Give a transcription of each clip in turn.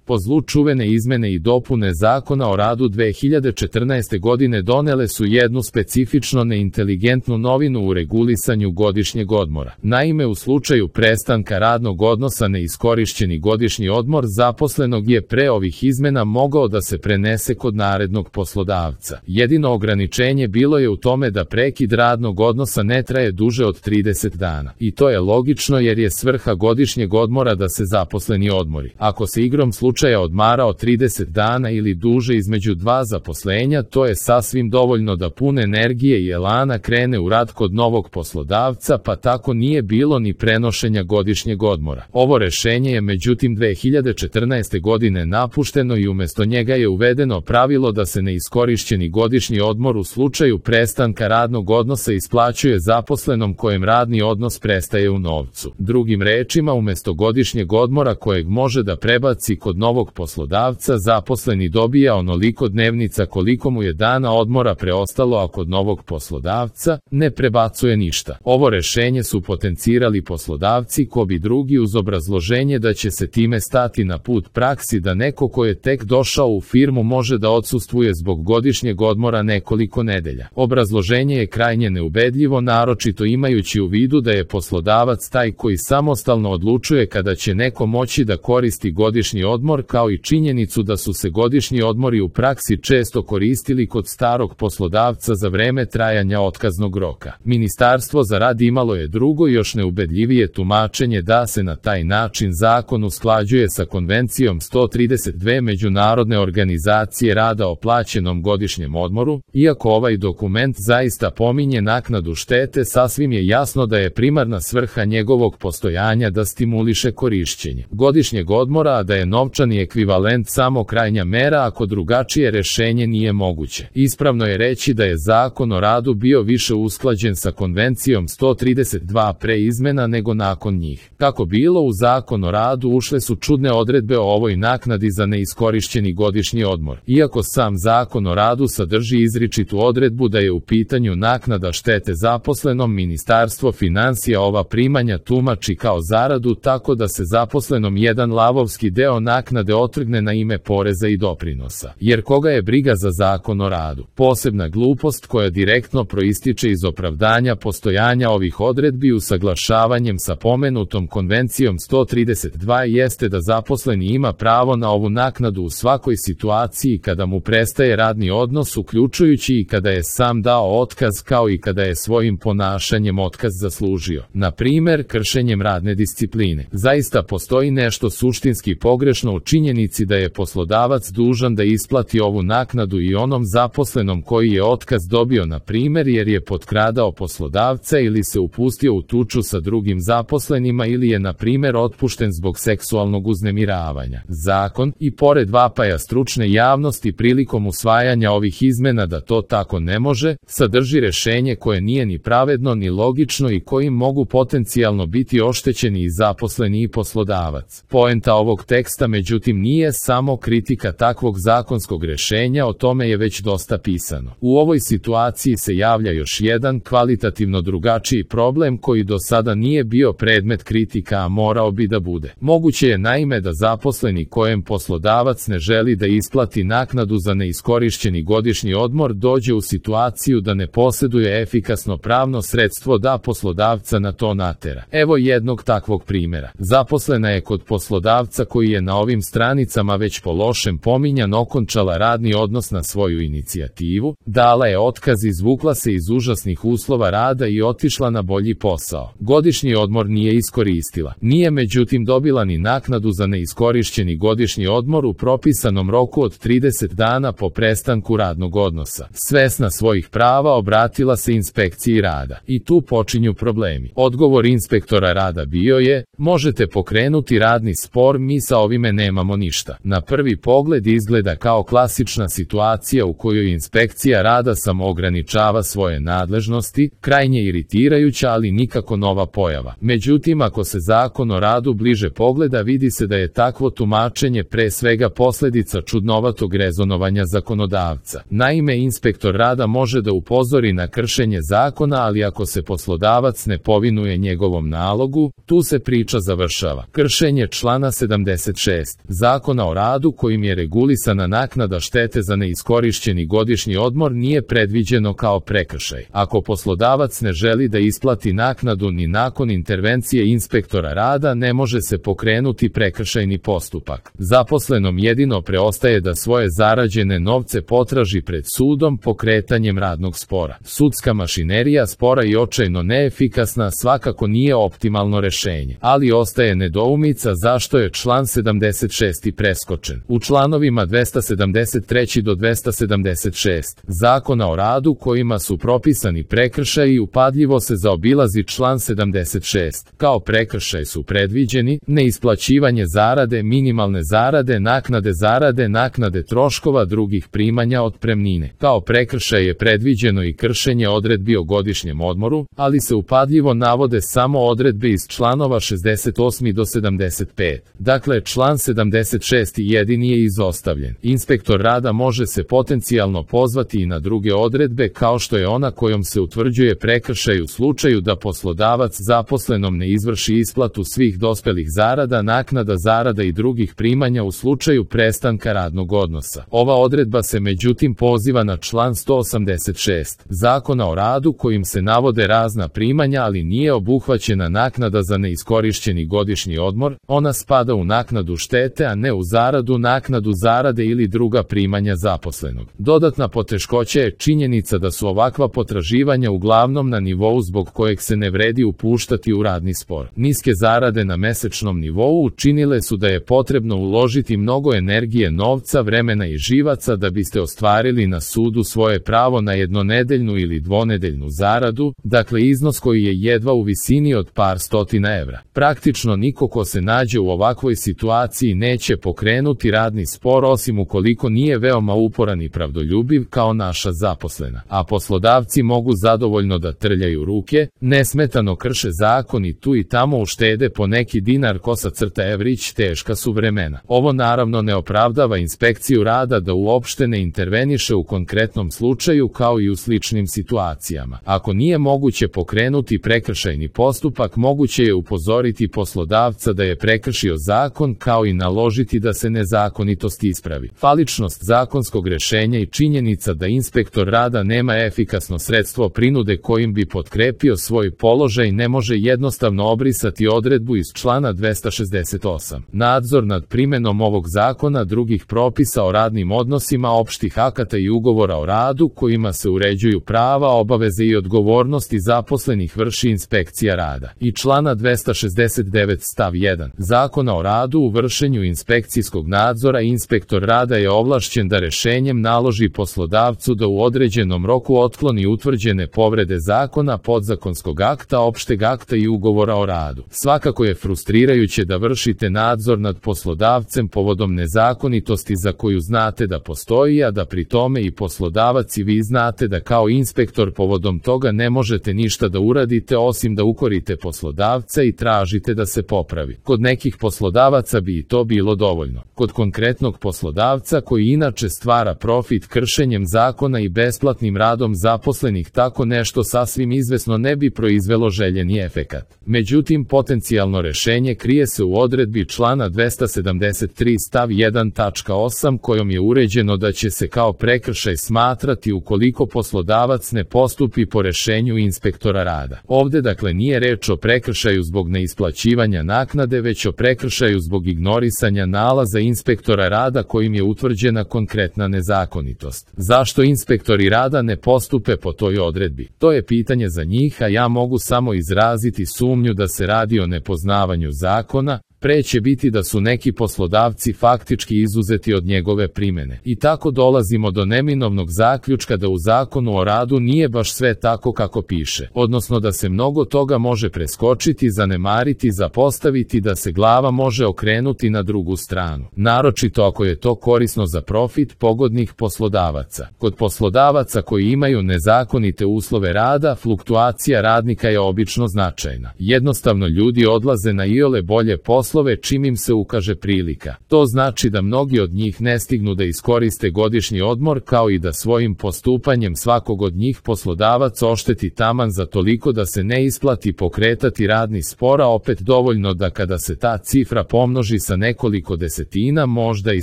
Po zlu čuvene izmene i dopune Zakona o radu 2014. godine donele su jednu specifično neinteligentnu novinu u regulisanju godišnjeg odmora. Naime, u slučaju prestanka radnog odnosa neiskorišćeni godišnji odmor zaposlenog je pre ovih izmena mogao da se prenese kod narednog poslodavca. Jedino ograničenje bilo je u tome da prekid radnog odnosa ne traje duže od 30 dana. I to je logično jer je svrha godišnjeg odmora da se zaposleni odmori. Ako se igrom slučaja odmarao 30 dana ili duže između dva zaposlenja, to je sasvim dovoljno da pun energije i elana krene u rad kod novog poslodavca, pa tako nije bilo ni prenošenja godišnjeg odmora. Ovo rešenje je međutim 2014. godine napušteno i umesto njega je uvedeno pravilo da se neiskorišćeni godišnji odmor u slučaju prestanka radnog odnosa isplaćuje zaposlenom kojem radni odnos prestaje u novcu. Drugim rečima, umesto godišnjeg odmora kojeg može da prebaci kod novog poslodavca, zaposleni dobija onoliko dnevnica koliko mu je dana odmora preostalo, a kod novog poslodavca ne prebacuje ništa. Ovo rešenje su potencirali poslodavci ko bi drugi uz obrazloženje da će se time stati na put praksi da neko ko je tek došao u firmu može da odsustvuje zbog godišnjeg odmora nekoliko nedelja. Obrazloženje je krajnje neubedljivo, naročito imajući u vidu da je poslodavac taj koji samostalno odlučuje kada će neko moći da koristi godišnji odmor, kao i činjenicu da su se godišnji odmori u praksi često koristili kod starog poslodavca za vreme trajanja otkaznog roka. Ministarstvo za rad imalo je drugo i još neubedljivije tumačenje da se na taj način zakon usklađuje sa Konvencijom 132 Međunarodne organizacije rada o plaćenom godišnjem odmoru. Iako ovaj dokument zaista pominje naknadu štete, sasvim je jasno da je primarna svrha njegovog postojanja da stimuliše korišćenje godišnjeg odmora, a da je novčani ekvivalent samo krajnja mera ako drugačije rešenje nije moguće. Ispravno je reći da je Zakon o radu bio više usklađen sa Konvencijom 132 pre izmena nego nakon njih. Kako bilo, u Zakon o radu ušle su čudne odredbe o ovoj naknadi za neiskorišćeni godišnji odmor. Iako sam Zakon o radu sadrži izričitu odredbu da je u pitanju naknada štete zaposlenom, Ministarstvo finansija ova primanja tumači kao zaradu, tako da se zaposlenom jedan lavovski deo naknade otrgne na ime poreza i doprinosa. Jer koga je briga za Zakon o radu? Posebna glupost koja direktno proističe iz opravdanja postojanja ovih odredbi usaglašavanjem sa pomenutom Konvencijom 132 jeste da zaposleni ima pravo na ovu naknadu u svakoj situaciji kada mu prestaje radni odnos, uključujući i kada je sam dao otkaz, kao i kada je svojim ponašanjem otkaz zaslužio. Na primer, kršenjem radne discipline. Zaista postoji nešto suštinski pogrešno u činjenici da je poslodavac dužan da isplati ovu naknadu i onom zaposlenom koji je otkaz dobio, na primer jer je potkradao poslodavca ili se upustio u tuču sa drugim zaposlenima ili je na primer otpušten zbog seksualnog uznemiravanja. Zakon, i pored vapaja stručne javnosti prilikom usvajanja ovih izmena da to tako ne može, sadrži rešenje koje nije ni pravedno ni logično i kojim mogu potencijalno biti oštećeni i zaposleni i poslodavac. Poenta ovog teksta međutim nije samo kritika takvog zakonskog rešenja, o tome je već dosta pisano. U ovoj situaciji se javlja još jedan kvalitativno drugačiji problem koji do sada nije bio predmet kritika, a morao bi da bude. Moguće je naime da zaposleni kojem poslodavac ne želi da isplati naknadu za neiskorišćeni godišnji odmor dođe u situaciju da ne posjeduje efikasno pravno sredstvo da poslodavca na to natera. Evo jednog takvog primjera. Zaposlena je kod poslodavca koji je na ovim stranicama već po lošem pominjan okončala radni odnos na svoju inicijativu, dala je otkaz, izvukla se iz užasnih uslova rada i otišla na bolji posao. Godišnji odmor nije iskoristila. Nije međutim dobila ni naknadu za neiskorišćeni godišnji odmor u propisanom roku od 30 dana po prestanku radnog odnosa. Svesna svojih prava obratila se inspekciji rada. I tu počinju problemi. Odgovor inspektora rada bio je: možete pokrenuti radni spor, mi sa ovime nemamo ništa. Na prvi pogled izgleda kao klasična situacija u kojoj inspekcija rada samo ograničava svoje nadležnosti, krajnje iritirajuća, ali nikako nova pojava. Međutim, ako se Zakon o radu bliže pogleda, vidi se da je takvo tumačenje pre svega posljedica čudnovatog rezonovanja zakonodavca. Naime, inspektor rada može da upozori na kršenje zakona, ali ako se poslodavac ne povinuje njegovom nalogu, tu se priča završava. Kršenje člana 76. Zakona o radu kojim je regulisana naknada štete za neiskorišćeni godišnji odmor nije predviđeno kao prekršaj. Ako poslodavac ne želi da isplati naknadu ni nakon intervencije inspektora rada, ne može se pokrenuti prekršajni postupak. Zaposlenom jedino preostaje da svoje zarađene novce potraži pred sudom pokretanjem radnog spora. Sudska mašinerija spora i očajno neefikasna svakako nije optimalno rešenje, ali ostaje nedoumica zašto je član 76. preskočen. U članovima 273. do 276. Zakona o radu kojima su propisani prekršaji upadljivo se zaobilazi član 76. Kao prekršaj su predviđeni neisplaćivanje zarade, minimalne zarade, naknade troškova drugih primanja otpremnine. Kao prekršaj je predviđeno i kršenje odredbi o godišnjem odmoru, ali se upadljivo navode samo odredbe iz članova 68. do 75. Dakle, član 76. jedini je izostavljen. Inspektor rada može se potencijalno pozvati i na druge odredbe kao što je ona kojom se utvrđuje prekršaj u slučaju da poslodavac zaposlenom ne izvrši isplatu svih dospelih zarada, naknada zarada i drugih primanja u slučaju prestanka radnog odnosa. Ova odredba se međutim poziva na član 186. Zakona o radu kojim se navode razna primanja, ali nije obuhvaćena naknada za neiskorišćeni godišnji odmor, ona spada u naknadu štete, a ne u zaradu, naknadu zarade ili druga primanja zaposlenog. Dodatna poteškoća je činjenica da su ovakva potraživanja uglavnom na nivou zbog kojeg se ne vredi upuštati u radni spor. Niske zarade na mesečnom nivou učinile su da je potrebno uložiti mnogo energije, novca, vremena i živaca da biste ostvarili na sudu svoje pravo na jednonedeljnu ili dvonedeljnu zaradu, dakle iznos koji je jedva u visini od par stotina evra. Praktično niko ko se nađe u ovakvoj situaciji neće pokrenuti radni spor osim ukoliko nije veoma uporan i pravdoljubiv kao naša zaposlena. A poslodavci mogu zadovoljno da trljaju ruke, nesmetano krše zakon i tu i tamo uštede po neki dinar _evrić, teška su vremena. Ovo naravno ne opravdava inspekciju rada da uopšte ne interveniše u konkretnom slučaju kao i u sličnim situacijama. Ako nije moguće pokrenuti prekršajni postupak, moguće je upozoriti poslodavca da je prekršio zakon kao i naložiti da se nezakonitost ispravi. Faličnost zakonskog rešenja i činjenica da inspektor rada nema efikasno sredstvo prinude kojim bi potkrepio svoj položaj ne može jednostavno obrisati odredbu iz člana 268. Nadzor nad primenom ovog zakona, drugih propisa o radnim odnosima, opštih akata i ugovora o radu kojima se uređuju prava, obaveze i odgovornosti zaposlenih vrši inspekcija rada. I člana 269 stav 1. Zakona o radu u vršenju inspekcijskog nadzora inspektor rada je ovlašćen da rešenjem naloži poslodavcu da u određenom roku otkloni utvrđene povrede zakona, podzakonskog akta, opšteg akta i ugovora o radu. Svakako je frustrirajuće da vršite nadzor nad poslodavcem povodom nezakonitosti za koju znate da postoji, a da pri tome i poslodavac i vi znate da kao inspektor povodom toga ne možete ništa da uradite osim da ukorite poslodavca i tražite da se popravi. Kod nekih poslodavaca bi i to bilo dovoljno. Kod konkretnog poslodavca koji inače stvara profit kršenjem zakona i besplatnim radom zaposlenih tako nešto sasvim izvesno ne bi proizvelo željeni efekat. Međutim, potencijalno rešenje krije se u odredbi člana 273 stav 1.8 kojom je uređeno da će se kao prekršaj smatrati ukoliko poslodavac ne postupi po rešenju inspektora rada. Ovde dakle nije reč o prekršaju zbog neisplaćivanja naknade, već o prekršaju zbog ignorisanja nalaza inspektora rada kojim je utvrđena konkretna nezakonitost. Zašto inspektori rada ne postupe po toj odredbi? To je pitanje za njih, a ja mogu samo izraziti sumnju da se radi o nepoznavanju zakona, pre će biti da su neki poslodavci faktički izuzeti od njegove primene. I tako dolazimo do neminovnog zaključka da u Zakonu o radu nije baš sve tako kako piše, odnosno da se mnogo toga može preskočiti, zanemariti, zapostaviti, da se glava može okrenuti na drugu stranu. Naročito ako je to korisno za profit pogodnih poslodavaca. Kod poslodavaca koji imaju nezakonite uslove rada, fluktuacija radnika je obično značajna. Jednostavno ljudi odlaze na iole bolje poslove poslove čim im se ukaže prilika. To znači da mnogi od njih ne stignu da iskoriste godišnji odmor, kao i da svojim postupanjem svakog od njih poslodavac ošteti taman za toliko da se ne isplati pokretati radni spor, a opet dovoljno da kada se ta cifra pomnoži sa nekoliko desetina, možda i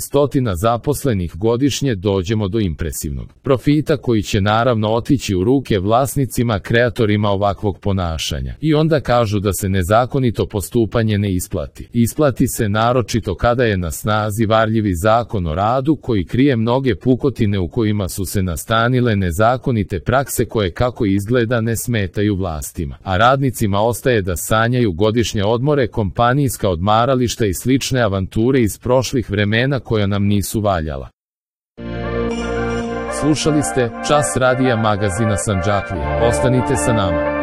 stotina zaposlenih godišnje, dođemo do impresivnog profita koji će naravno otići u ruke vlasnicima, kreatorima ovakvog ponašanja. I onda kažu da se nezakonito postupanje ne isplati. Isplati se naročito kada je na snazi varljivi zakon o radu koji krije mnoge pukotine u kojima su se nastanile nezakonite prakse koje, kako izgleda, ne smetaju vlastima. A radnicima ostaje da sanjaju godišnje odmore, kompanijska odmarališta i slične avanture iz prošlih vremena koja nam nisu valjala. Slušali ste Čas radija magazina Sandžaklija. Ostanite sa nama.